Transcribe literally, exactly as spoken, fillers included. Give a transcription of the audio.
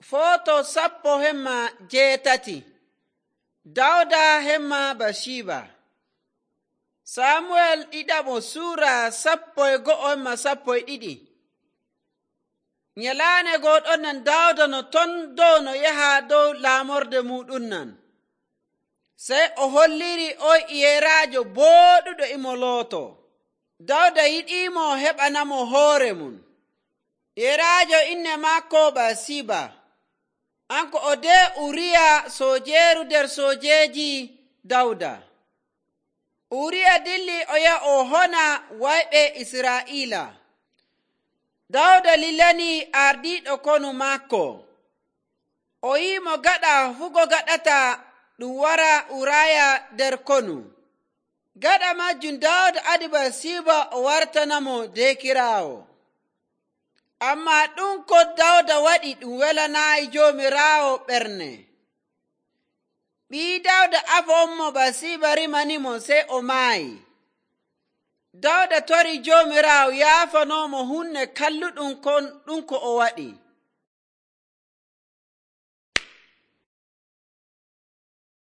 Foto sappo hemma jeetati. Dawda hemma Basiba. Samuel ɗiɗaɓo suura sappo e go'o hemma sappo e ɗiɗi. Nyalaane gooɗon nan Dawda no ton dow no yaha dow laamorde muɗum nan. Sey o holliri o yeraajo booɗuɗo imo looto. Dawda yiɗiimo o heɓanamo hoore mum. Yeraajo inne maako Basiba. Anko o de Uriya soojeeru nder soojeeji Dawda. Uriya dilli o yaha o hona wayɓe Israa'iila. Dawda lilanii ardiiɗo konu maako. O yi'imo gaɗa fugo gaɗata ɗum wara Uraya nder konu. Gaɗa majjum Dawda adi Basiba o wartanamo deekiraawo. Ammaa ɗum ko Dawda waɗi ɗum welanaayi Joomiraawo ɓernde. Ɓii Dawda afo on mo Basiba rimanimo sey o maayi. Dawda tori Joomiraawo yaafanoomo hunde kalluɗum kon ɗum ko o waɗi.